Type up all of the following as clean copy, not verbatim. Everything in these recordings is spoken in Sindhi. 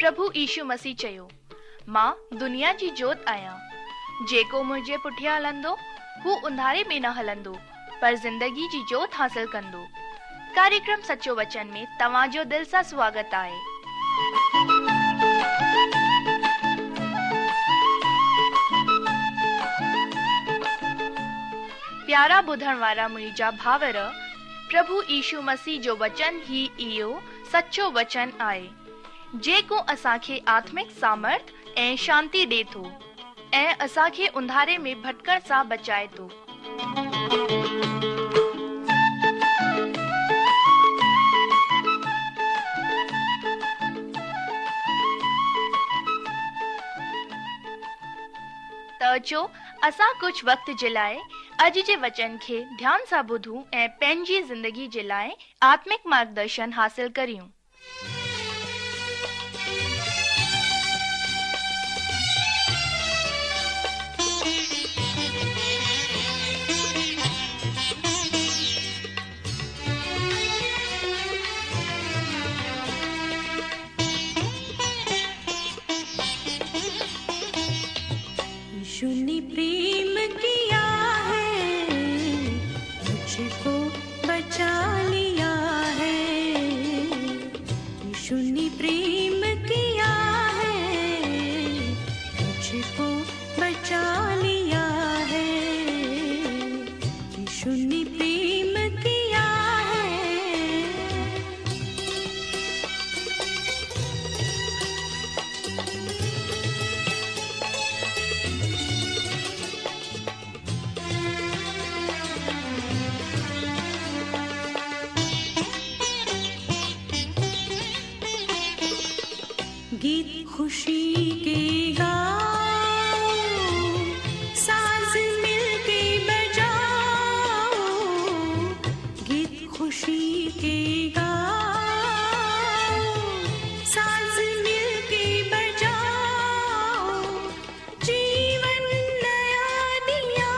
پرڀو يشو مسيح چيو، مان دنيا جي جوت آهيان. جيڪو منهنجي پٺيان هلندو، هو انڌاري ۾ نه هلندو، پر زندگي جي جوت حاصل ڪندو. ڪاريڪرم سچو وچن ۾ توهان جو دل سان سواگت آهي. پيارا ٻڌڻ وارا منهنجا ڀائر، پرڀو يشو مسيح جو وچن ئي اهو سچو وچن آهي، جيڪو اسان کي آتمڪ سامرٿ ۽ شانتي ڏي ٿو ۽ اسان کي انڌاري ۾ ڀٽڪڻ سان بچائي ٿو. ته اچو اسان ڪجهه وقت جي لاء اڄ جي وچن کي ڌيان سان ٻڌون ۽ پنهنجي زندگي جي لاء آتمڪ مارگدرشن حاصل ڪريون. يشو ني پريم ڪيا هي مجهڪو بچا ليا هي يشو ني پريم ڪيا هي مجهڪو بچا ليا هي يشو ني پريم ڪيا هي. گيت خوشي ڪي گائو ساز مل ڪي بجائو گيت خوشي ڪي گائو ساز مل ڪي بجائو جيون نيا ديا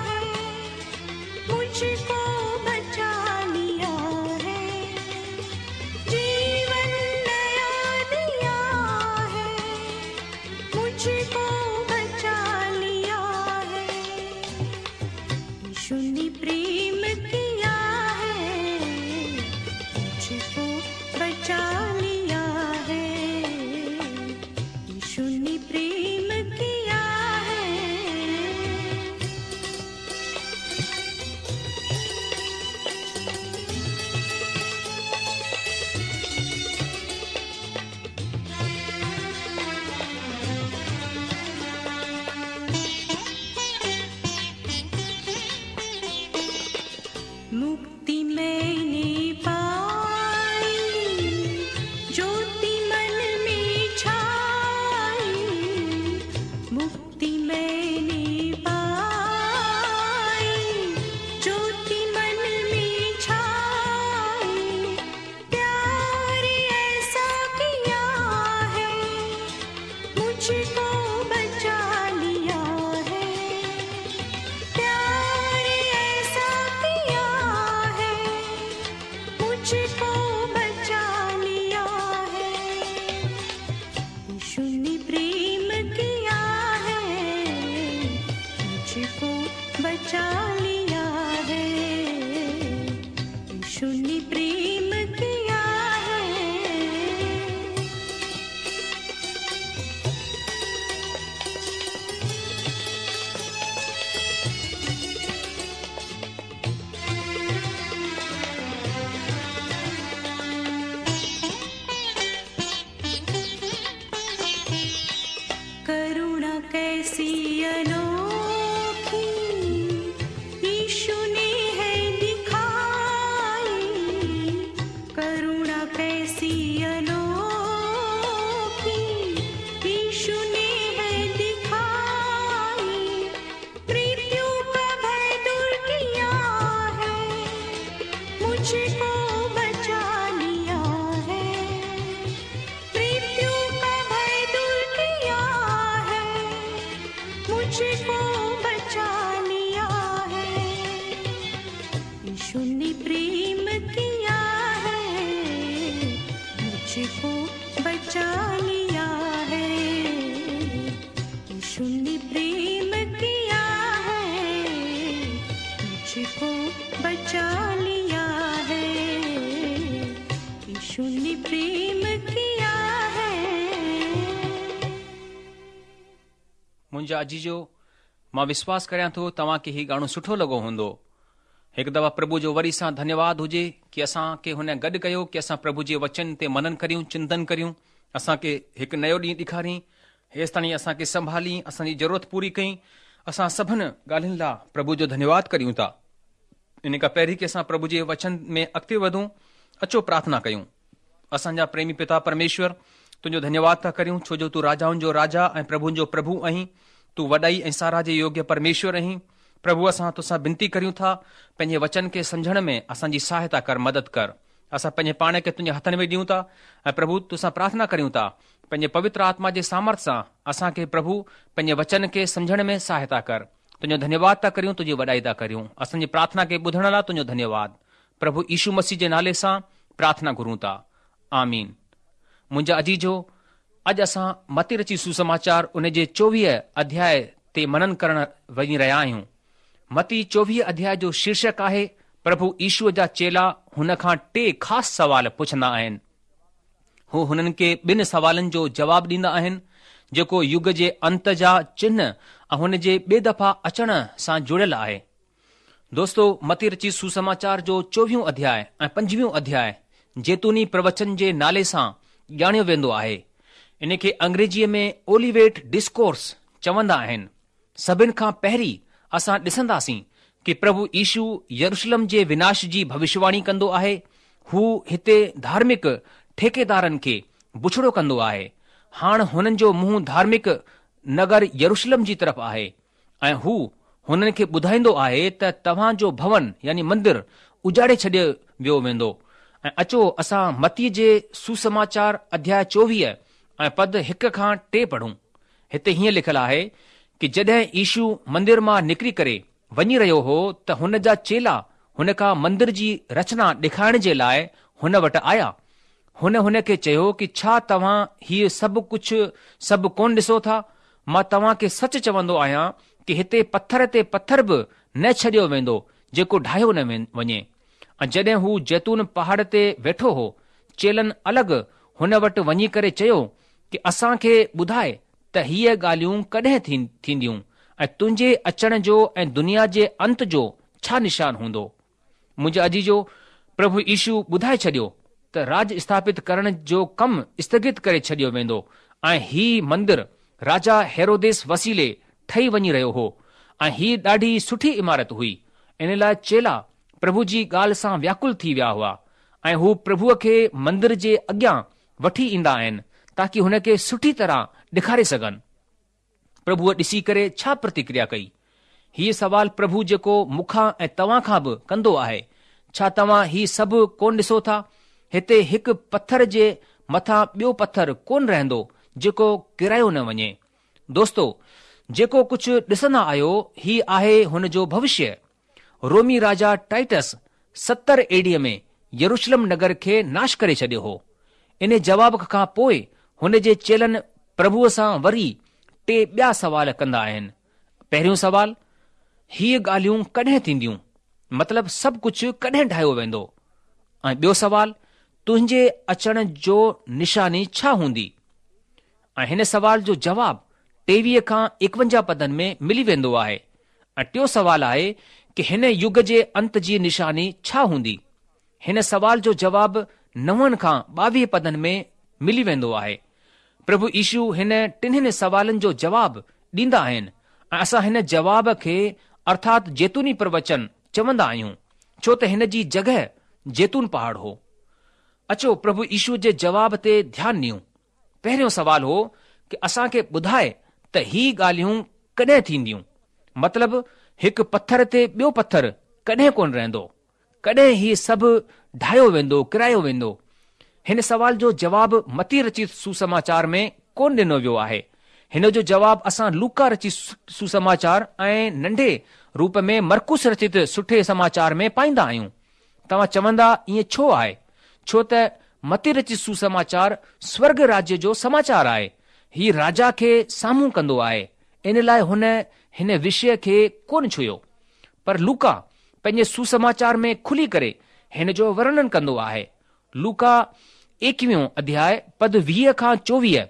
هي مجهڪو بچا ليا هي جيون نيا ديا هي مجهڪو بچا ليا هي يشو ني پريم ڪيا هي مجهڪو بچا ليا هي يشو ني پريم ڪيا هي. مڪتي مين ني پائي جوتي من ۾ ڇائي مڪتي مين ني پائي جوتي من ۾ ڇائي پيار ايسا ڪيا هي مجهڪو بچا ليا هي پيار ايسا ڪيا هي مجهڪو بچا ليا هي يشو ني پريم ڪيا هي مجهڪو بچا ليا هي يشو ني پريم ڪيا هي. ڪرڻا ڪيسي انوکي يشو ني هي دکائي ڪرڻا ڪيسي انوکي يشو ني هي دکائي مرتيو ڪا ڀي دور ڪيا هي مجهڪو بچا ليا هي مرتيو ڪا ڀي دور ڪيا هي مجهڪو بچا ليا هي يشو ني پريم ڪيا هي مجهڪو بچا ليا. منهنجا عزيزو، مان وشواس ڪريان ٿو توهان کي هي گاڻو سٺو لڳو هوندو. هڪ دفعا پرڀو جو وري سان ڌنيواد هجي ڪي اسان کي هن گڏ ڪيو ڪي اسان پرڀو جي وچن تي منن ڪريون، چنتن ڪريون. اسان کي هڪ نيو ڏينهن ڏيکارين، هيستاڻي اسان کي سنڀالين، اسان جي ضرورت پوري ڪئين. اسان سڀن ڳالهين لا پرڀو جو ڌنيواد ڪريون ٿا. ان کان پهرين ڪي اسان پرڀو جي وچن ۾ اڳتي وڌون، اچو پرارٿنا ڪيون. اسان جا پريمي پتا پرميشور، تنهنجو ڌنيواد ٿا ڪريون، ڇو جو تون راجائن جو راجا ۽ پرڀن جو پرڀو آهين. تون وڏائي ۽ ساراهه جي يوگيه پرميشور آهين. پرڀو اسان توسان بنتي ڪريون ٿا، پنهنجي وچن کي سمجهڻ ۾ اسان جي سهائتا ڪر، مدد ڪر. اسان پنهنجي پاڻ کي تنهنجي هٿن ۾ ڏيون ٿا ۽ پرڀو توسان پرارٿنا ڪريون ٿا، پنهنجي پوتر آتما جي سامرٿ سان اسان کي پرڀو پنهنجي وچن کي سمجهڻ ۾ سهائتا ڪر. تنهنجو ڌنيواد ٿا ڪريون، تنهنجي وڏائي ٿا ڪريون. اسان جي پرارٿنا کي ٻڌڻ لاء تنهنجو ڌنيواد. پرڀو يشو مسيح جي نالي سان پرارٿنا گهرون ٿا. آمين. منهنجا عزيزو، اڄ اسان متي رچي سوسماچار ان جي چوويهه اڌياء تي منن ڪرڻ وڃي رهيا آهيون. متي چوويهه اڌياء جو شيرشڪ آهي پرڀو يشو جا چيلا هن کان ٽي خاص سوال پڇندا آهن. هو هنن کي ٻن سوالن جو جواب ڏيندا آهن جيڪو يگ جي انت جا چنه ۽ هن جي ٻي دفعا اچڻ سان جڙيل آهي. دوستو متي رچي سوسماچار جو چوويهون اڌياء ۽ پنجويهون اڌياء زيتوني پروچن جي نالي سان ڄاڻيو ويندو آهي. ان کي انگريزيء ۾ اوليويٽ ڊسڪورس چوندا آهن. سڀن کان پهرين اسان ڏسنداسين ڪي پرڀو يشو يروشلم جي وناش جي ڀوشواڻي ڪندو آهي. هو هتي ڌارمڪ ٺيڪيدارن کي بڇڙو ڪندو آهي. هاڻ هنن جو منهن ڌارمڪ نگر يروشلم جي طرف آهي. ۽ هو هنن کي ٻڌائيندو آهي ته توهان جو ڀون يعني مندر اجاڙي ڇڏيو ويو ويندو ۽ اچو اسان متيء جي سوسماچار اڌياء 24 ۽ پد هڪ کان ٽي پڙهون. هتي هيئن لکيل آهي ڪي جڏهن يشو مندر مان نڪري ڪري وڃي رهيو هو ته هن جا چيلا هن کان مندر جي رچنا ڏيکارڻ جي لاء هن وٽ آيا. هن هن کي چيو ڪي ڇا توهان هيء سڀ ڪجهه سڀ ڪونه ڏسو ٿا؟ مان توهان کي سچ چوندو آهيان ڪي هتي پٿر تي پٿر به نه ڇڏيو ويندو جيڪو ڊاهيو نه وڃي. ۽ جڏهن هو زيتون پهاڙ تي ويٺو هو، چيلن الڳ هن وٽ وڃي ڪري چيو ڪي اسان کي ٻڌاء ته هيء ڳالهيون ڪڏهن ٿينديون ۽ تنهنجي اچڻ جو ۽ دنيا جي انت جو ڇا نشان هوندو؟ منهنجا عزيزو، پرڀو يشو ٻڌائي ڇڏيو ته راڄ اسٿاپت ڪرڻ جو ڪم اسٿگت ڪري ڇڏيو ويندو ۽ هي مندر راجا هيروديس وسيلي ٺهي وڃي رهيو هو ۽ هي ڏاڍي سٺي عمارت هئي، ان لاء چيلا پرڀو جي ڳالهه سان وياڪل ٿي ويا هئا ۽ هو پرڀوء کي مندر جي اڳيان وٺي ايندا آهن تاڪي هن کي سٺي طرح ڏيکاري سگهن. پرڀوء ڏسي ڪري ڇا پرتڪريا ڪئي؟ هيء سوال پرڀو جيڪو مون کان ۽ توهان کان به ڪندو آهي، ڇا توهان هي سڀ ڪونه ڏسو ٿا؟ هتي هڪ پٿر جي مٿان ٻيو پٿر ڪونه رهندو جيڪو ڪيرايو نه وڃي. دوستو! جيڪو ڪجهه ڏسندا آهيو، هي آهي هن جو ڀوشيه. رومي راجا ٽائٽس 70 اي ڊي ۾ يروشلم نگر کي ناش ڪري ڇڏيو هو. ان جواب کان پوء هن جي چيلن پرڀوء سان وري ٽي ٻيا سوال ڪندا آهن. پهريون سوال، هيء ڳالهيون ڪڏهن ٿينديون؟ مطلب سڀ ڪجهه ڪڏهن ڊاهيو ويندو؟ ۽ ٻيو سوال، تنهنجي اچڻ جو نشاني ڇا هوندي؟ ۽ هن سوال جو جواب 23 کان 51 پدن ۾ ملي ويندو آهي ۽ ٽيون سوال آهي ڪي هن يگ جي انت جي نشاني ڇا هوندي؟ هن سوال جو جواب نون کان 22 پدن ۾ ملي ويندو آهي. پرڀو يشو هن ٽنهن سوالن جو جواب ڏيندا آهن ۽ اسان هن جواب کي ارٿات زيتوني پروچن چوندا آهيون ڇو ته هن جي جڳهه زيتون پهاڙ هو. اچو پرڀو يشو جي جواب تي ڌيان ڏيون. پهريون سوال هو ڪي اسان کي ٻڌاء ته هي ڳالهيون ڪڏهن ٿينديون؟ مطلب هڪ پٿر تي ٻيو پٿر ڪڏهن ڪونه رهندو؟ ڪڏهن هي سڀ ڊاهيو ويندو، ڪرايو ويندو؟ هن سوال جو جواب متي رچت سوسماچار ۾ ڪونه ڏنو ويو آهي. هن جو جواب اسان لوڪا رچت سوسماچار ۽ ننڍي روپ ۾ مرقس رچت سٺي سماچار ۾ پائيندا آهيون. توهان چوندا ائين ڇو آهي؟ ڇو ته متي رچت سوسماچار سورڳ راجيه جو سماچار آهي. هي راجا کي سامهون ڪندو آهي، ان لاء هن هن وشيه کي ڪونه ڇهيو. پر لوڪا پنهنجي سوسماچار ۾ کلي ڪري هن جو ورڻن ڪندو آهي. لوڪا ايڪويهون اڌياء پد 20 کان 24.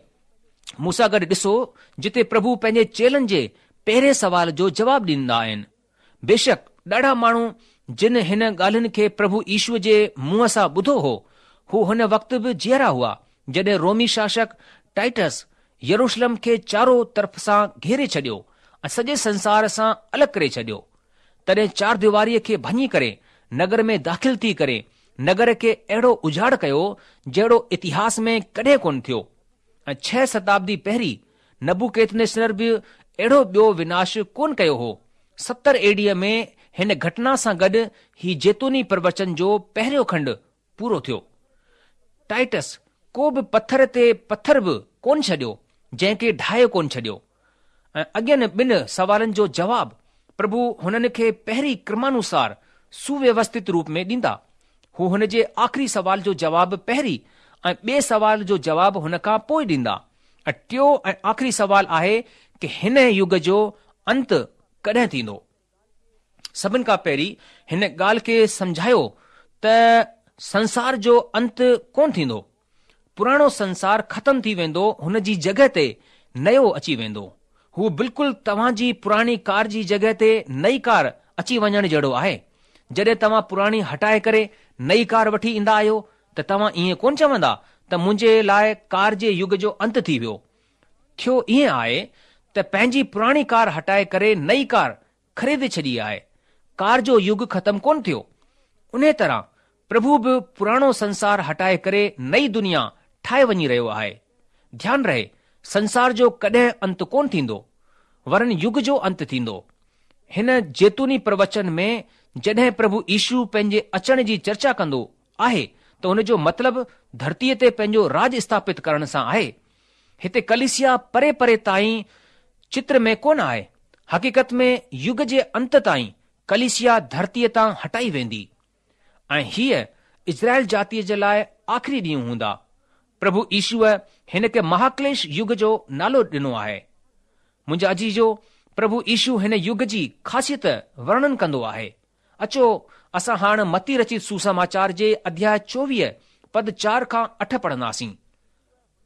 مون سان گڏ ڏسو جتي پرڀو پنهنجي چيلن جي پهرين سوال جو جواب ڏيندا آهن. بيشڪ ڏاڍا ماڻهو جن هن ڳالهين کي پرڀو يشوء جي منهن سان ٻڌو هو، هو هن وقت به جيئرا هئا جڏهن رومي شاشڪ ٽائٽس يروشلم کي چارو طرف سان گهيري ڇڏيو ۽ سڄي سنسار سان الڳ ڪري ڇڏيو. تڏهن چارديواريء کي ڀڃي ڪري نگر ۾ داخل ٿي ڪري نگر کي اهڙو اجاڙ ڪيو جهڙو اتهاس ۾ ڪڏهن ڪونه ٿيو ۽ ڇهه شتابدي پهرين نبوڪدنيسر به اهڙو ٻيو وناش ڪونه ڪيو هو. 70 اي ڊيء ۾ هن گهٽنا سان گڏ هي زيتوني پروچن جو پهريون کنڊ پورو ٿيو. ٽائٽس ڪو به پٿر تي پٿر به ڪونه ڇڏيو، جنهن کي ڍاهي ڪونه ڇڏيو. ۽ اڳين ٻن سوالن جو جواب پرڀو هنن کي پهرين ڪرمانوسار سوويوسٿت روپ ۾ ڏيندا. هو هن جي آخري سوال جو جواب پهرين ۽ ٻئي سوال جو جواب هن کان پوء ڏيندا. ۽ ٽيو ۽ آخري سوال آهي ڪه هن يگ جو انت ڪڏهن ٿيندو؟ سڀن کان پهرين هن ڳالهه کي سمجهايو ته سنسار جو انت ڪونه ٿيندو. پراڻو سنسار ختم ٿي ويندو هن جي جڳهه تي نيو اچي ويندو. هو بلڪل توهان جي پراڻي ڪار جي جڳهه تي نئي ڪار اچي وڃڻ جهڙو آهي. جڏهن توهان پراڻي هٽائي ڪري نئي ڪار وٺي ايندا آهيو ته توهان ائين ڪونه چوندا ته منهنجي لاء ڪار جي يگ جو انت ٿي ويو. ٿيو ائين آهي ته پنهنجي پراڻي ڪار هٽائي ڪري نئي ڪار خريدي ڇڏي آهي. ڪار جو يگ ختم ڪونه ٿيو. انهيء طرح پرڀو به پراڻو سنسار هٽائي ڪري نئي دنيا ٺاهي وڃي رهيو آهي. ڌيان رهي سنسار جو ڪڏهن انت ڪونه ٿيندو، ورن يگ جو انت ٿيندو. هن زيتوني پروچن ۾ جڏهن پرڀو يشو پنهنجي اچڻ جي چرچا ڪندو آهي ته ان جو مطلب ڌرتيء تي پنهنجو راڄ اسٿاپت ڪرڻ سان آهي. هتي ڪليسيا پري پري تائين چتر ۾ ڪونه آهي. حقيقت ۾ يگ جي انت تائين ڪليسيا ڌرتيء تان هٽائي ويندي ۽ هيء اسرائيل جاتيء جي لاء آخري ڏينهن هوندا. پرڀو يشوء هن کي مهاڪليش يگ جو نالو ڏنو آهي. منهنجا عزيزو، پرڀو يشو هن يگ جي خاصيت ورڻن ڪندو آهي. اچو اسان هاڻ متي رچت سوسماچار جي اڌياء 24 پد 4 کان 8 پڙهنداسين.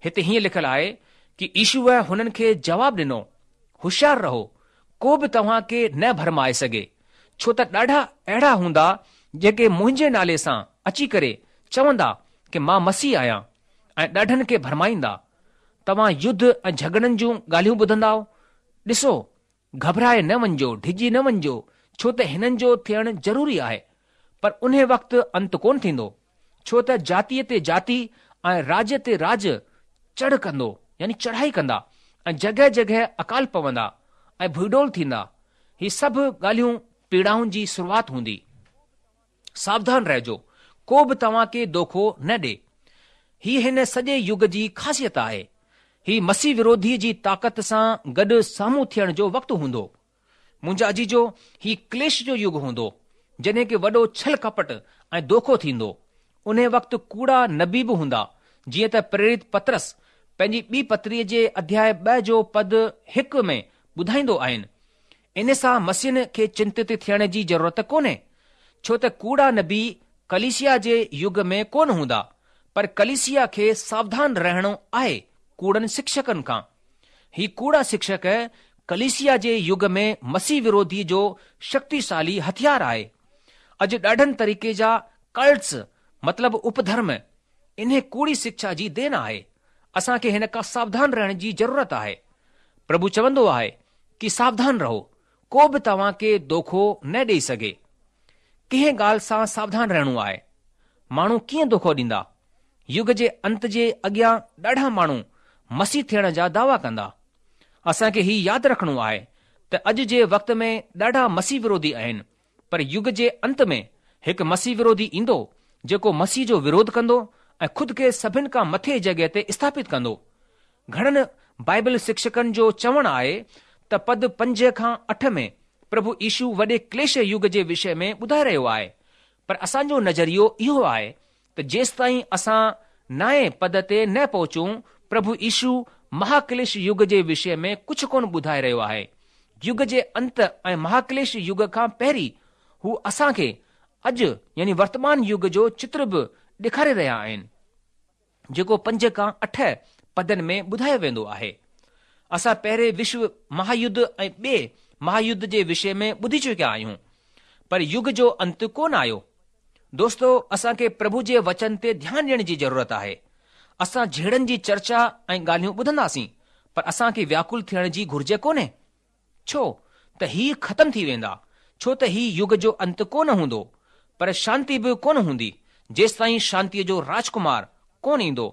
هتي هيئن لکيل آهي ڪي يشوء هنن کي جواب ڏنو، هوشيار رهو، ڪو به توهان کي نه ڀرمائي سگهي، ڇو ته ڏاڍا اهڙا هوندا جيڪي منهنجي نالي سان اچي ڪري چوندا ڪي مان مسيح آهيان ۽ ڏاڍن کي ڀرمائيندا. توهان يڌ ۽ جهڳڙن جون ڳالهيون ٻڌندائو. ڏسو، گهٻرائي نه وڃجو، ڊڄي نه وڃجو، ڇو ته هنن جو ٿيڻ ضروري آهي، پر انهي وقت انت ڪونه ٿيندو، ڇو ته جاتيء تي جاتي ۽ راڄ تي راڄ چڙهه ڪندو، يعني چڙهائي ڪندا، ۽ جڳهه جڳهه اڪال پوندا ۽ ڀوئيڊول ٿيندا، هي سڀ ڳالهيون پيڙائن جي شروعات هوندي. ساوڌان رهجو، ڪو به توهان کي دوکو نه ڏي. هي هن سڄي يگ جي خاصيت آهي. هي مسيح وروڌيء جي طاقت سان گڏ سامهون ٿيڻ جو وقت هوندو. منهنجا عزيزو، هي ڪليش جو يگ هوندو، جڏهن ڪي وڏو ڇل ڪپٽ ۽ دوکو ٿيندو. انهي وقت ڪوڙا نبي به هوندا، جيئن ته پريرت پطرس پنهنجي ٻي پتريء جي اڌياء ٻه جو پد هڪ ۾ ٻڌائيندو آهن. ان سان مسيحين کي چنتت ٿيڻ جي ضرورت ڪونهي، ڇو ته ڪوڙا نبي ڪليسيا جي يگ ۾ ڪونه هوندا، پر ڪليسيا کي ساوڌان رهڻو آهي ڪوڙن شڪشڪن کان. هي ڪوڙا شڪشڪ ڪليسيا جي يگ ۾ مسيح وروڌي جو شڪتيشالي هٿيار آهي. اڄ ڏاڍن طريقي جا ڪلٽس مطلب اپڌرم انهي ڪوڙي شڪشا جي دين آهي. اسان کي هن کان ساوڌان رهڻ جي ضرورت آهي. پرڀو چوندو آهي ڪي ساوڌان رهو، ڪو به توهان کي دوکو نه ڏئي سگهي. ڪنهن ڳالهه سان ساوڌان رهڻو آهي. ماڻهو ڪيئن دوکو ڏيندا؟ يگ جي انت جي اڳيان ڏاڍا ماڻهو مسيح ٿيڻ جا دعويٰ ڪندا. اسان کي هي ياد رکڻو آهي ته اڄ جي وقت ۾ ڏاڍا مسيح وروڌي آهن پر يگ جي انت ۾ هڪ مسيح وروڌي ايندو جيڪو مسيح جو وروڌ ڪندو ۽ خود کي سڀن کان مٿي جڳهه تي اسٿاپت ڪندو. گهڻن بائبل شڪشڪن جو چوڻ آهي ته پد پنج کان اٺ ۾ پرڀو يشو وڏي ڪليش يگ جي وشي ۾ ٻڌائي رهيو آهي پر اسان جو نظريو اهو آهي ته جيستائين اسان نائين پد تي نه پهچون پرڀو يشو مهاڪليش يگ جي وشي ۾ ڪجهه ڪونه ٻڌائي رهيو آهي. يگ جي انت ۽ مهاڪليش يگ کان پهرين هو اسان کي اڄ يعني ورتمان يگ جو چتر به ڏيکاري رهيا آهن جيڪو پنج کان اٺ پدن ۾ ٻڌايو ويندو آهي. اسان پهرين وشو مهايڌ ۽ ٻئي مهايڌ جي وشي ۾ ٻڌي چڪيا آهيون، پر يگ جو انت ڪونه آيو. دوستو اسان کي پرڀو جي وچن تي ڌيان ڏيڻ جي ضرورت آهي. اسان جهيڙن جي چرچا ۽ ڳالهيون ٻڌنداسين، پر اسان کي وياڪل ٿيڻ جي گهرج ڪونهي. ڇو ته هي ختم ٿي ويندا، ڇو ته هي يگ جو انت ڪونه هوندو، پر شانتي به ڪونه هوندي، جيستائين شانتيء جو راجڪمار ڪونه ايندو،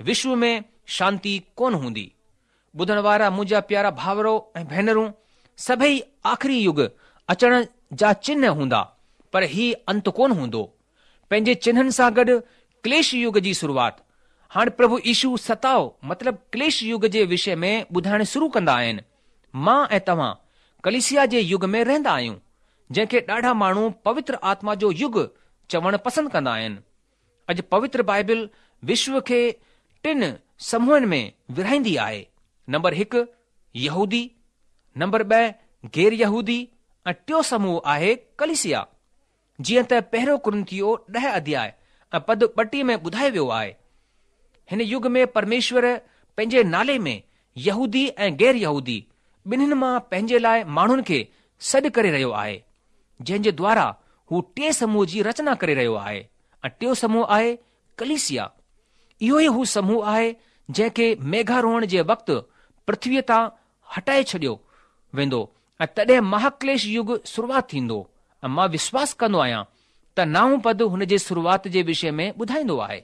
وشو ۾ شانتي ڪونه هوندي. ٻڌڻ وارا منهنجا پيارا ڀائرو ۽ ڀينرون، سڀئي آخري يگ اچڻ جا چنهه هوندا، پر هي انت ڪونه هوندو. پنهنجي چنهن سان گڏ ڪليش يگ جي شروعات. هاڻ پرڀو يشو ستاء مطلب ڪليش يگ جي وشي ۾ ٻڌائڻ شروع ڪندا آهن. مان ۽ توهان ڪليسيا جي يگ ۾ رهندا آهيون، جنهن کي ڏاڍا ماڻهو پوتر آتما جو يگ چوڻ پسند ڪندا آهن. اڄ پوتر بائبل وشو کي ٽن سموهن ۾ ورهائيندي آهي، نمبر هڪ يهودي، نمبر ٻه غير يهودي ۽ ٽيون سموهه آهي ڪليسيا. جيئن ته پهريون ڪرنٿيو ڏهه اڌياء ۽ پد 32 ۾ ٻڌايو ويو آهي. هن يگ ۾ پرميشور پنهنجي نالي ۾ يهودي ۽ غير يهودي ٻنهين مان پنهنجي لاء ماڻهن کي سڏ ڪري رهيو آهي، جنهن جي دوارا هو ٽئين سموهه جي رچنا ڪري رهيو آهي ۽ ٽيون سموهه آهي ڪليسيا. اهو ئي هو سموهه آهي جنهن کي ميگهاروهڻ جي وقت پرٿويء تان هٽائي ڇڏيو ويندو ۽ تڏهن مهاڪليش يگ شروعات ٿيندو ۽ مان وشواس ڪندو آهيان ته نائون پد هن جي شروعات جي وشي ۾ ٻڌائيندو آهي.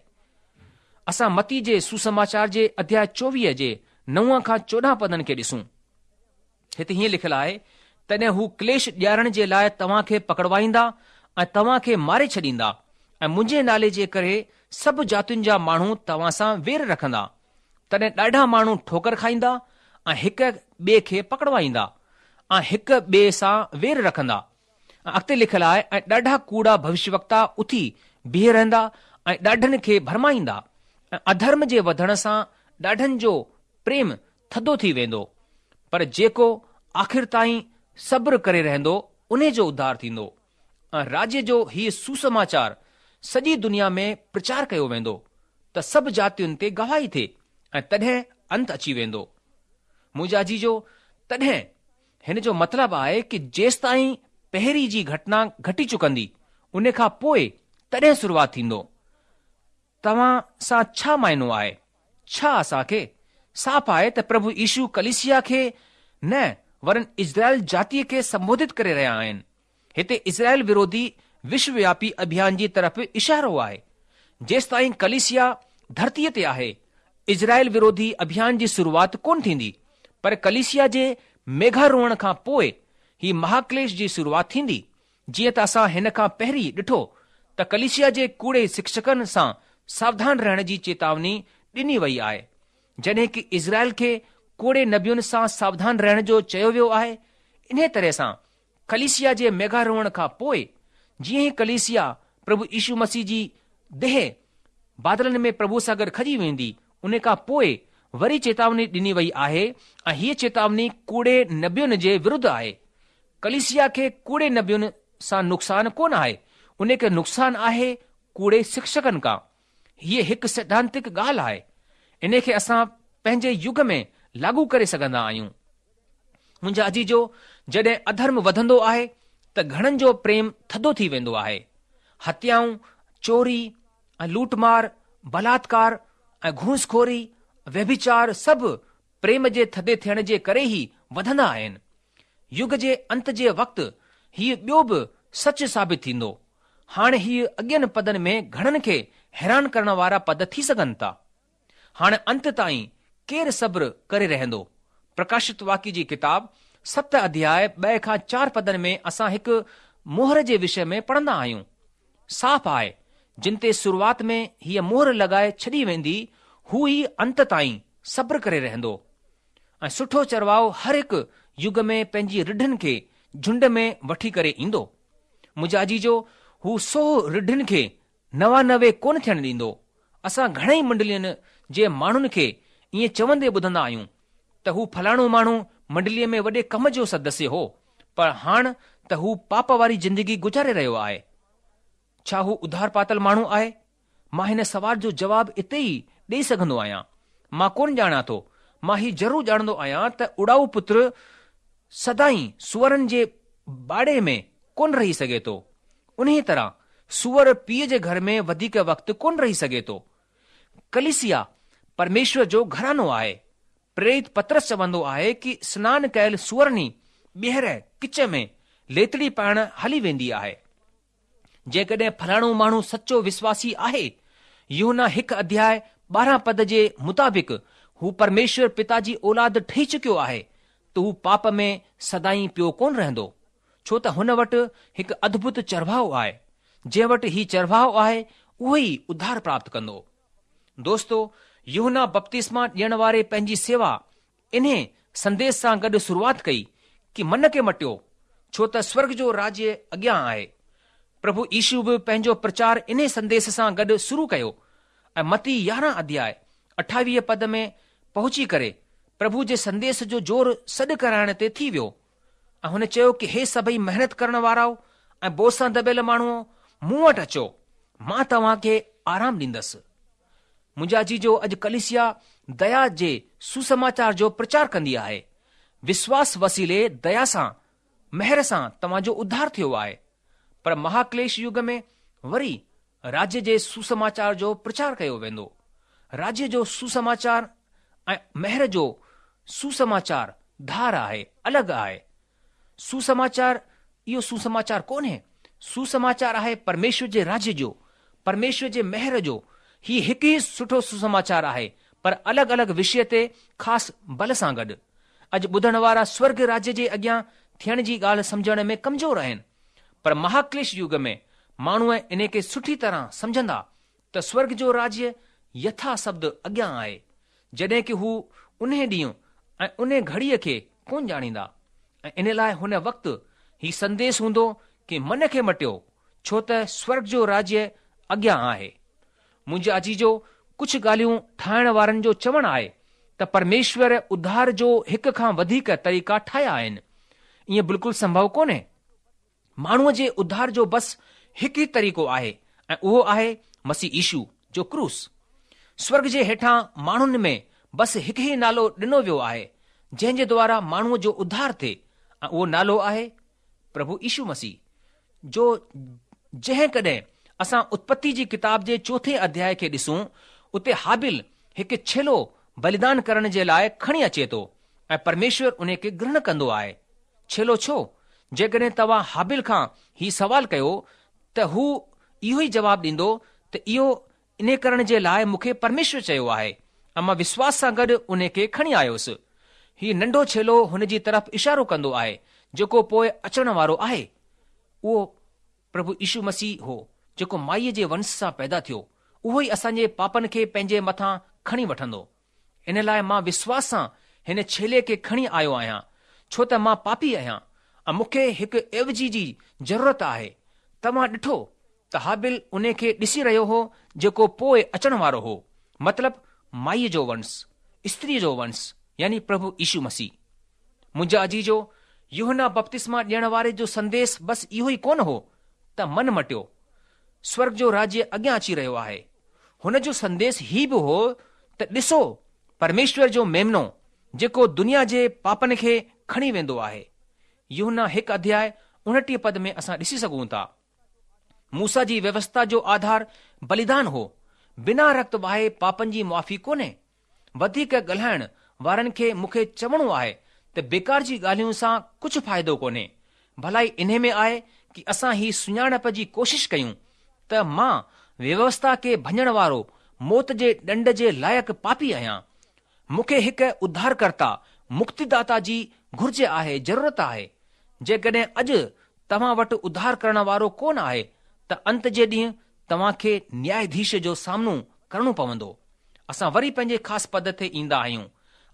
اسان متي جي سوسماچار جي اڌياء 24 جي نو کان 14 پدن کي ڏسون. هتي هيئن لکيل آهي، تڏهن هو ڪليش ڏيارڻ جي لاء توهان کي پڪڙوائيندا ۽ توهان کي ماري ڇڏيندا ۽ منهنجي نالي جي ڪري سڀ جاتين جا ماڻهو توهان سان وير رکندا. تڏهن ڏاڍا ماڻهو ٺوڪر کائيندا ۽ هڪ ٻئي کي پڪڙوائيندا ۽ هڪ ٻئي سان وير رکندا. ۽ اڳتي لکيل آهي ۽ ڏاڍا ڪوڙا ڀوشيوڪتا اٿي بيهي رهندا ۽ ڏاڍن کي ڀرمائيندا ۽ اڌرم جي وڌڻ سان ڏاڍن جو پريم ٿڌو ٿي ويندو، پر جيڪو آخر تائين صبر ڪري رهندو انهي جو اڌار ٿيندو. ۽ راجيه جو هيء سوسماچار سڄي دنيا ۾ پرچار ڪيو ويندو ته سڀ جاتين تي گواهي ٿئي ۽ تڏهن انت اچي ويندو. منهنجا عزيزو، تڏهن هن جو مطلب آهي ڪه جيستائين پهرين جي گهٽنا گهٽي چڪندي ان کان پوء تڏهن شروعات ٿيندو. توهان سان ڇا معنو آهي؟ ڇا اسان کي صاف آهي ته پرڀو يشو ڪليسيا کي نه ورن اسرائيل جاتيء کي سنبوڌت ڪري رهيا آهن. هتي اسرائيل وروڌي وشووياپي اڀيان جي طرف اشارو آهي. جيستائين ڪليسيا ڌرتيء تي آهي، اسرائيل وروڌي اڀيان جي شروعات ڪونه ٿيندي، پر ڪليسيا جي ميگهاروهڻ کان پوء هي مهاڪليش جي شروعات ٿيندي. جيئن ته اسان هن کان پهرين ڏٺو ته ڪليسيا جي ڪوڙي شڪشڪن سان ساوڌان رهڻ جي چيتاوني ڏني وئي آهي. جڏهن ڪه اسرائيل کي ڪوڙي نبين سان ساوڌان رهڻ جو چيو ويو آهي، انهيء طرح سان ڪليسيا جي ميگهاروهڻ کان پوء جيئن ئي ڪليسيا پرڀو يشو مسيح جي ديهه بادلن ۾ پرڀو سان گڏ کڄي ويندي، ان کان پوء وري چيتاوني ڏني وئي آهي ۽ هيء چيتاوني ڪوڙي نبين جي ورڌ آهي. ڪليسيا کي ڪوڙي نبين سان نقصان ڪونه آهي، ان کي نقصان آهي ڪوڙي شڪشڪن کان. هيء هڪ سڌانتڪ ڳالهه آهي. ان کي اسان پنهنجي يگ ۾ لاڳو ڪري سگهندا آهيون. منهنجا عزيزو، جڏهن اڌرم وڌندو آهي ته گهڻن جو پريم ٿڌو ٿي ويندو آهي. هتيائون، چوري ۽ لوٽمار، بلاتڪار ۽ گهوسخوري، ويڀچار سڀ پريم جي ٿڌي ٿيڻ جي ڪري ئي وڌندا آهن. يگ جي انت جي وقت هيء ٻيو به سچ ثابت ٿيندو. هاڻ هيء اڳين پدن ۾ گهڻن کي حيران ڪرڻ وارا پد ٿي سگهن ٿا. هاڻ انت تائين ڪير صبر ڪري رهندو؟ پرڪاشت واڪيه جي ڪتاب ست اڌياء ٻه کان چار پدن ۾ اسان هڪ مهر جي وشي ۾ پڙهندا آهيون. صاف آهي، جن تي شروعات ۾ هيء مهر لڳائي ڇڏي ويندي، هو ئي انت تائين صبر ڪري رهندو. ۽ سٺو چرواهو هر هڪ يگ ۾ پنهنجي رڍن کي جهنڊ ۾ وٺي ڪري ايندو. منهنجا عزيزو، هو سو رڍن کي 99 ڪونه ٿيڻ ڏيندو. اسان گهڻئي منڊلين جي ماڻهن کي ائين چوندي ٻڌندا آهيون ته هو فلاڻو ماڻهو منڊليء ۾ وڏي ڪم جو سدسيه هو، پر هاڻ ته هو پاپ واري زندگي گذاري رهيو آهي. ڇا هو اڌار پاتل ماڻهو آهي؟ مان هن سوال جو جواب اتي ئي ڏئي سگهندو آهيان. مان ڪونه ڄاڻان ٿو. مان هي ضرور ڄاڻندو آهيان ته اڙائو پتر سدائين سوئرن جي باڙي ۾ ڪونه رهي سگهي ٿو. انهيء طرح سوئر پيء جي گهر ۾ وڌيڪ وقت ڪونه رهي سگهي ٿو. ڪليسيا پرميشور جو گهراڻو آهي. پريرت پطرس چوندو آهي ڪي سنان ڪيل سوئرني ٻيهر ڪچ ۾ ليتڙي پائڻ هلي ويندي آهي. جيڪڏهن فلاڻو ماڻهو سچو وسواسي آهي، يوحنا هڪ اڌياء 12 پد جي مطابق هو پرميشور پتا جي اولاد ٺهي چڪيو آهي ته هو پاپ ۾ سدائين پيو ڪونه رهندو، ڇو ته هن وٽ هڪ اڌڀت چرواهو آهي، جنهن وٽ هي چرواهو آهي اهو ئي اڌار پراپت ڪندو. دوستو، يوحنا بپتسما ڏيڻ واري پنهنجي سيوا انهي سنديش سان گڏ شروعات ڪئي ڪي من کي مٽيو، ڇو ته سورڳ جو راجيه اڳيان آهي. پرڀو يشو به پنهنجو پرچار انهي سنديش سان گڏ شروع ڪيو ۽ متي 11 اڌياء 28 پد ۾ پهچي ڪري پرڀو جي سنديش جو زور سڏ ڪرائڻ تي ٿي ويو ۽ هن چيو ڪي هي سڀئي محنت ڪرڻ واراؤ ۽ بوجه سان دٻيل ماڻهوؤ مون وٽ اچو، مان توهان کي آرام ڏيندس. منهنجا عزيزو اڄ ڪليسيا ديا جي سوسماچار جو پرچار ڪندي آهي. وشواس وسيلي ديا سان، مهر سان توهان جو اڌار ٿيو آهي. پر مهاڪليش يگ ۾ وري راجيه جي سوسماچار جو پرچار ڪيو ويندو. راجيه جو سوسماچار ۽ مهر جو سوسماچار ڌار آهي، الڳ آهي. سوسماچار اهو سوسماچار ڪونهي. سوسماچار آهي پرميشور جي راجيه جو، پرميشور جي مهر جو. هي هڪ ئي سٺو سوسماچار آهي، پر الڳ الڳ وشيه تي خاص بل سان گڏ. اڄ ٻڌڻ وارا سورڳ راجيه جي اڳيان ٿيڻ جي ڳالهه سمجهڻ ۾ ڪمزور آهن. پر مهاڪليش يگ ۾ ماڻهو انهي کي سٺي طرح سمجهندا ته سورڳ جو راجيه يٿا شبد اڳيان آهي، جڏهن ڪي هو انهي ڏينهن ۽ انهي گهڙيء کي ڪونه ڄاڻيندا ۽ ان لاء هن وقت هي سنديش هوندو ڪي من کي مٽيو، ڇو ته سورڳ جو راجيه اڳيان آهي. منهنجا عزيزو، ڪجهه ڳالهيون ٺاهڻ وارن جو چوڻ آهي ته پرميشور اڌار جو هڪ کان وڌيڪ طريقا ٺاهيا آهن. ائين بلڪل سنڀو ڪونهي. ماڻهوء جي اڌار جو بس هڪ ئي طريقو آهي ۽ اهو آهي مسيح يشو جو ڪروس. سورڳ جي هيٺان ماڻهن ۾ بس هڪ ئي نالو ڏنو ويو آهي جنهن جي دوارا ماڻهوء جو اڌار ٿئي ۽ اهو نالو آهي پرڀو يشو مسيح جو. جنهن ڪڏهن اسان اتپتي جي ڪتاب جي چوٿين اڌياء کي ڏسون اتي هابيل هڪ ڇيلو بليدان ڪرڻ جي لاء کڻي اچي ٿو ۽ پرميشور انهي کي گرهڻ ڪندو آهي. ڇيلو ڇو؟ جيڪڏهن توهان هابيل کان هي سوال ڪيو ته هو اهو ئي جواب ڏيندو ته اهو انهي ڪرڻ جي لاء مون کي پرميشور چيو آهي ۽ مان وشواس سان گڏ انهي کي کڻي آيوس. هي ننڍو ڇيلو هن جي طرف اشارو ڪندو آهي جيڪو پوء اچڻ وارو آهي. اهو پرڀو يشو مسيح هو جيڪو مائيء جي ونش سان پيدا ٿيو. اهو ئي اسان جي پاپن کي پنهنجي مٿان کڻي وٺندو. ان لاء مان وشواس سان هن ڇيلي کي کڻي آيو آهيان، ڇو ته مان پاپي آهيان ۽ مون کي هڪ عيوضي جي ضرورت آهي. توهان ڏٺو ته هابيل انهي کي ڏسي رهيو هو جيڪو پوء اچڻ وارو هو، مطلب مائيء جو ونش، استريء جو ونش، يعني پرڀو يشو مسيح. منهنجا عزيزو، يوحنا بپتسما ڏيڻ واري جو سنديش بس اهو ئي ڪونه هو ته من مٽيو، سورڳ جو راجيه اڳيان اچي رهيو آهي. هن جو سنديش هي به هو ته ڏسو پرميشور جو ميمنو جيڪو دنيا جي پاپن کي کڻي ويندو آهي. يوحنا هڪ اڌياء 29 پد ۾ اسان ڏسي سگهون ٿا. موسيٰ جي ويوسٿا جو آڌار بليدان هو. بنا رڪت وهائي پاپن جي معافي ڪونهي. وڌيڪ ڳالهائڻ وارن کي مون کي چوڻو آهي ته بيڪار جي ڳالهين سان ڪجهه فائدو ڪونهي. ڀلائي انهي ۾ آهي ڪي اسان هي سڃاڻپ جي ڪوشش ڪيون ته مان ويوسٿا کي ڀڃڻ وارو موت جي ڏنڊ جي لائق پاپي آهيان. مون کي هڪ اڌارڪرتا، مڪتيداتا جي گهرج آهي، ضرورت آهي. جيڪڏهن اڄ توهان وٽ اڌار ڪرڻ وارو ڪونه آهي ته انت جي ڏينهن توهان کي نياياڌيش جو سامنو ڪرڻو پوندو. اسان وري پنهنجي خاص پد تي ايندا آهيون.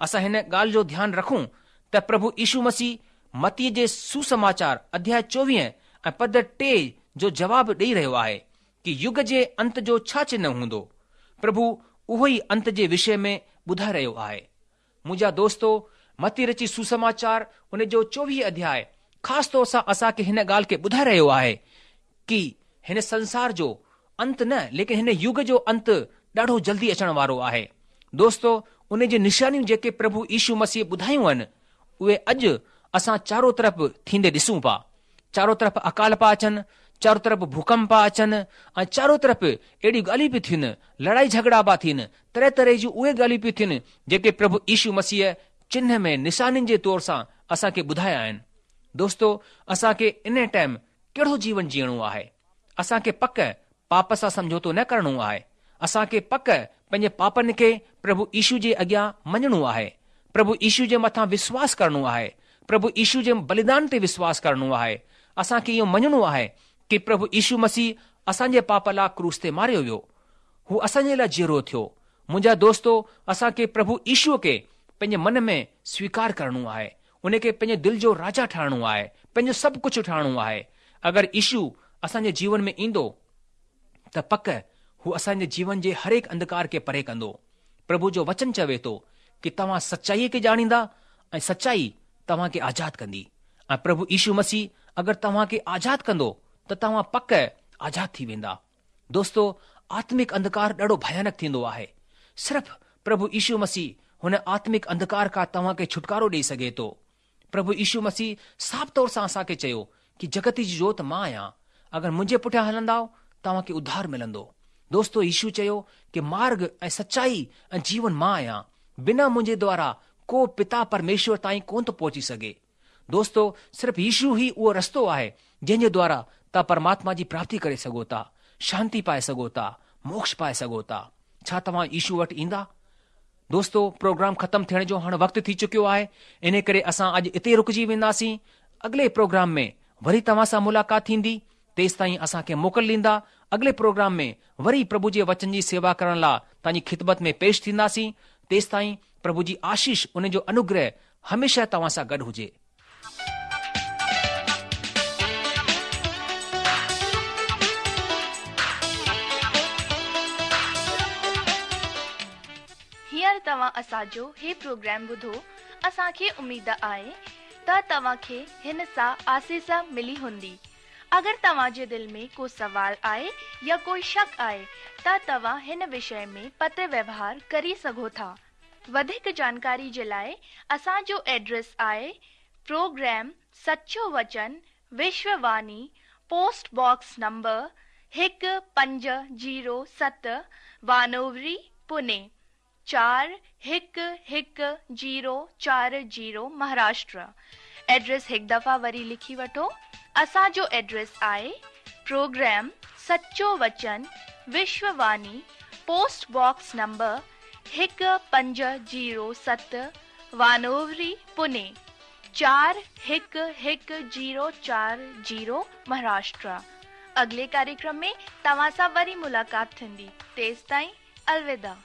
اسان هن ڳالهه جو ڌيان رکون ته پرڀو يشو مسيح متيء جي سوسماچار اڌياء 24 ۽ پد 3 جو جواب ڏئي رهيو آهي ڪي يگ جي انت جو ڇا چنهه هوندو. پرڀو اهو ئي انت جي وشي ۾ ٻڌائي رهيو آهي. منهنجا دوستو، متي رچي سوسماچار ان جو 24 اڌياء خاص طور سان اسان کي هن ڳالهه کي ٻڌائي رهيو آهي ڪي هن سنسار جو انت نه ليڪن هن يگ جو انت ڏاڍو جلدي اچڻ وارو آهي. دوستو! ان جي نشانيون جيڪي پرڀو يشو مسيح ٻڌايون آهن، اهي اڄ اسان چارو طرف ٿيندي ڏسون پا. چارو طرف اڪال پا اچن، چارو طرف ڀوڪمپ پا اچن ۽ چارو طرف اهڙيون ڳالهيون پيون ٿين، لڙائي جهڳڙا پا ٿين، طرح طرح جون اهي ڳالهيون پيون ٿين جيڪي پرڀو يشو مسيح چنهه ۾ نشانين جي طور سان اسان کي ٻڌايا آهن. دوستو اسان کي انهي ٽائيم ڪهڙو جيون جيئڻو آهي؟ اسان کي پڪ پاپ سان سمجهوتو نه ڪرڻو آهي. اسان کي پڪ پنهنجي پاپن کي پرڀو يشو جي اڳيان مڃڻو آهي. پرڀو يشو جي مٿان وشواس ڪرڻو آهي. پرڀو يشو جي بليدان تي وشواس ڪرڻو آهي. اسان کي اهو مڃڻو آهي ڪي پرڀو يشو مسيح اسان جي پاپ لاء ڪروس تي ماريو ويو. هو اسان جي لاء جيئرو ٿيو. منهنجا دوستو اسان کي پرڀو يشو کي پنهنجي من ۾ سويڪار ڪرڻو آهي. ان کي پنهنجي دل جو راجا ٺاهڻو آهي، پنهنجو سڀ ڪجهه ٺاهڻو آهي. اگر يشو اسان جي جيون ۾ ايندو ته پڪ هو اسان جي جيون جي هرهڪ انڌڪار کي پري ڪندو. پرڀو جو وچن چوي ٿو ڪي توهان سچائيء کي ڄاڻيندا ۽ سچائي توهان کي آزاد ڪندي ۽ پرڀو يشو مسيح اگر توهان کي آزاد ڪندو ته توهان پڪ آزاد ٿي ويندا. دوستو آتمڪ انڌڪار ڏاڍو ڀيانڪ ٿيندو آهي. صرف پرڀو يشو مسيح هن آتمڪ انڌڪار کان توهان کي ڇوٽڪارو ڏئي سگهي ٿو. پرڀو يشو مسيح صاف طور سان اسان کي چيو ڪي جڳت جي جوت مان آهيان اگر منهنجي پٺيان هلندائو توهان کي اڌار ملندو. دوستو يشو چيو ڪي مارگ ۽ سچائي ۽ جيون مان آهيان بنا منهنجي دوارا ڪو پتا پرميشور تائين ڪونه ٿو پهچي سگهي. دوستو صرف يشو ئي اهو رستو آهي جنهن جي دوارا توهان پرماتما جي پراپتي ڪري سگهو ٿا، شانتي پائي سگهو ٿا، موڪش پائي سگهو ٿا. ڇا توهان يشو وٽ ايندا؟ دوستو پروگرام ختم ٿيڻ جو هاڻ وقت ٿي چڪيو آهي انهي ڪري اسان اڄ اتي رڪجي وينداسين. اڳلي پروگرام ۾ وري توهان سان ملاقات ٿيندي. تيستائين اسان کي موڪل ڏيندا. اڳلي پروگرام ۾ وري پرڀو جي وچن جي سيوا ڪرڻ لاء توهان جي خدمت ۾ پيش ٿينداسين. تيستائين پرڀو جي آشيش ان جو انوگره هميشه توهان سان گڏ هجي. هينئر توهان اسان جو هي پروگرام ٻڌو، اسان کي اميد آهي ته توهان کي هن سان آسيس ملي هوندي. اگر توهان جي دل ۾ ڪو سوال آهي يا ڪوئي شڪ آهي ته توهان هن وشي ۾ پتر ويوهار ڪري سگهو ٿا. وڌيڪ جانڪاري جي لاء اسان جو ايڊريس آهي پروگرام سچو وچن Vishwa Vani post box number 1507 Wanowrie Pune 411040 Maharashtra address هڪ دفعا وري لکي وٺو اسان جو ايڊريس آهي پروگرام سچو وچن Vishwa Vani post box number 1507 Wanowrie Pune 411040 Maharashtra اڳلي ڪاريڪرم ۾ توهان سان وري ملاقات ٿيندي تيستائين الوداع.